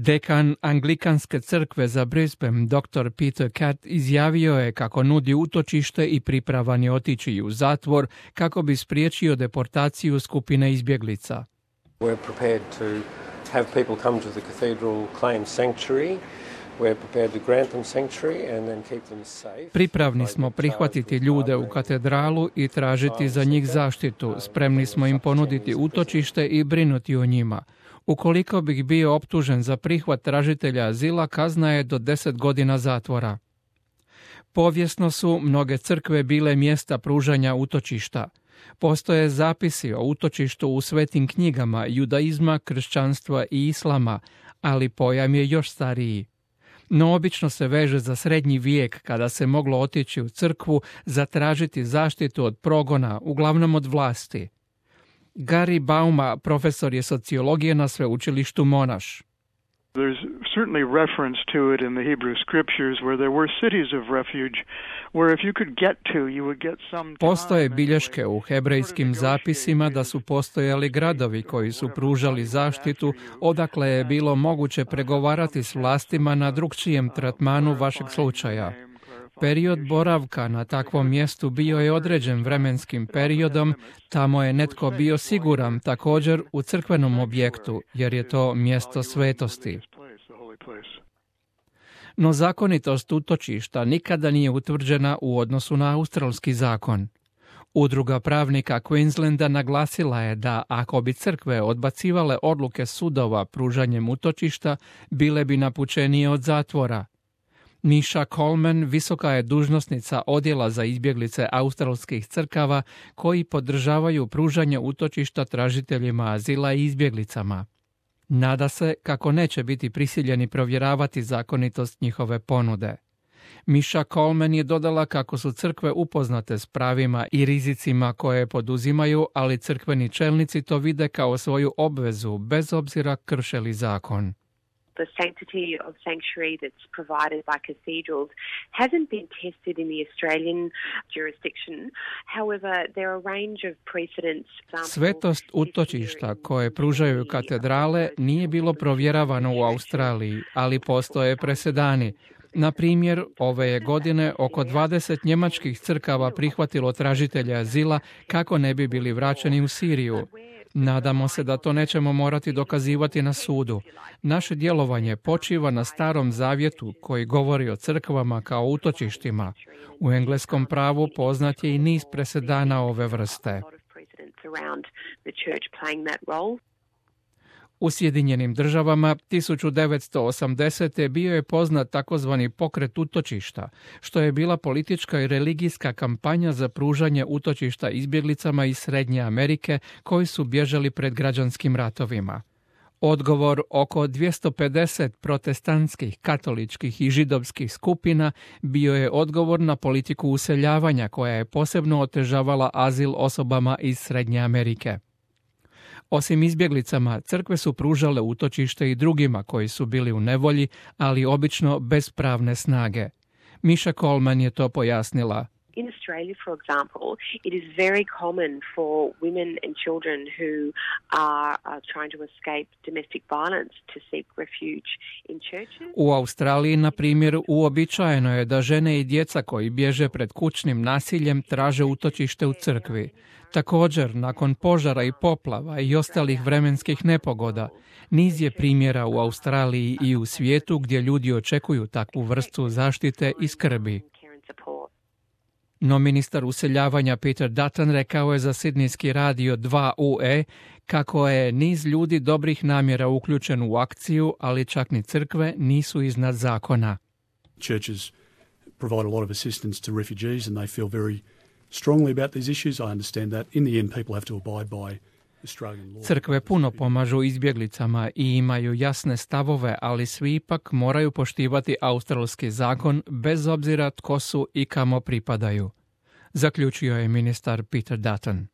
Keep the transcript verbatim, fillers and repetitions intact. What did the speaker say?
Dekan Anglikanske crkve za Brisbane, doktor Peter Catt, izjavio je kako nudi utočište i pripravan je otići u zatvor kako bi spriječio deportaciju skupine izbjeglica. We're prepared to have people come to the cathedral, claim sanctuary. We're prepared to grant them sanctuary and then keep them safe. Pripravni smo prihvatiti ljude u katedralu i tražiti za njih zaštitu. Spremni smo im ponuditi utočište i brinuti o njima. Ukoliko bih bio optužen za prihvat tražitelja azila, kazna je do deset godina zatvora. Povijesno su mnoge crkve bile mjesta pružanja utočišta. Postoje zapisi o utočištu u svetim knjigama judaizma, kršćanstva i islama, ali pojam je još stariji. No obično se veže za srednji vijek kada se moglo otići u crkvu zatražiti zaštitu od progona, uglavnom od vlasti. Gary Bauma, profesor je sociologije na sveučilištu Monash. There's certainly reference to it in the Hebrew scriptures where there were cities of refuge where if you could get to you would get some. Postoje bilješke u hebrejskim zapisima da su postojali gradovi koji su pružali zaštitu odakle je bilo moguće pregovarati s vlastima na drukčijem tretmanu vašeg slučaja. Period boravka na takvom mjestu bio je određen vremenskim periodom, tamo je netko bio siguran također u crkvenom objektu, jer je to mjesto svetosti. No zakonitost utočišta nikada nije utvrđena u odnosu na australski zakon. Udruga pravnika Queenslanda naglasila je da ako bi crkve odbacivale odluke sudova pružanjem utočišta, bile bi napučenije od zatvora. Misha Coleman, visoka je dužnosnica odjela za izbjeglice australskih crkava koji podržavaju pružanje utočišta tražiteljima azila i izbjeglicama. Nada se kako neće biti prisiljeni provjeravati zakonitost njihove ponude. Misha Coleman je dodala kako su crkve upoznate s pravima i rizicima koje poduzimaju, ali crkveni čelnici to vide kao svoju obvezu, bez obzira krše li zakon. The sanctity of sanctuary that's provided by cathedrals hasn't been tested in the Australian jurisdiction. However, there are a range of precedents. Svetost utočišta koje pružaju katedrale nije bilo provjeravano u Australiji, ali postoje presedani. Na primjer, ove je godine oko dvadeset njemačkih crkava prihvatilo tražitelje azila kako ne bi bili vraćeni u Siriju. Nadamo se da to nećemo morati dokazivati na sudu. Naše djelovanje počiva na starom zavjetu koji govori o crkvama kao utočištima. U engleskom pravu poznat je i niz presedana ove vrste. U Sjedinjenim državama tisuću devetsto osamdesete bio je poznat takozvani pokret utočišta, što je bila politička i religijska kampanja za pružanje utočišta izbjeglicama iz Srednje Amerike koji su bježali pred građanskim ratovima. Odgovor oko dvjesto pedeset protestantskih, katoličkih i židovskih skupina bio je odgovor na politiku useljavanja koja je posebno otežavala azil osobama iz Srednje Amerike. Osim izbjeglicama, crkve su pružale utočište i drugima koji su bili u nevolji, ali obično bez pravne snage. Misha Coleman je to pojasnila. In Australia, for example, it is very common for women and children who are, are trying to escape domestic violence to seek refuge in churches. U Australiji, na primjer, uobičajeno je da žene i djeca koji bježe pred kućnim nasiljem traže utočište u crkvi. Također, nakon požara i poplava i ostalih vremenskih nepogoda, niz je primjera u Australiji i u svijetu gdje ljudi očekuju takvu vrstu zaštite i skrbi. No ministar useljavanja Peter Dutton rekao je za sidnijski radio dva U E kako je niz ljudi dobrih namjera uključen u akciju, ali čak ni crkve nisu iznad zakona. Churches provide a lot of assistance to refugees and they feel very strongly about these issues. I understand that. In the end, people have to abide by Australian law. Crkve puno pomažu izbjeglicama i imaju jasne stavove, ali svi ipak moraju poštivati australski zakon bez obzira tko su i kamo pripadaju, zaključio je ministar Peter Dutton.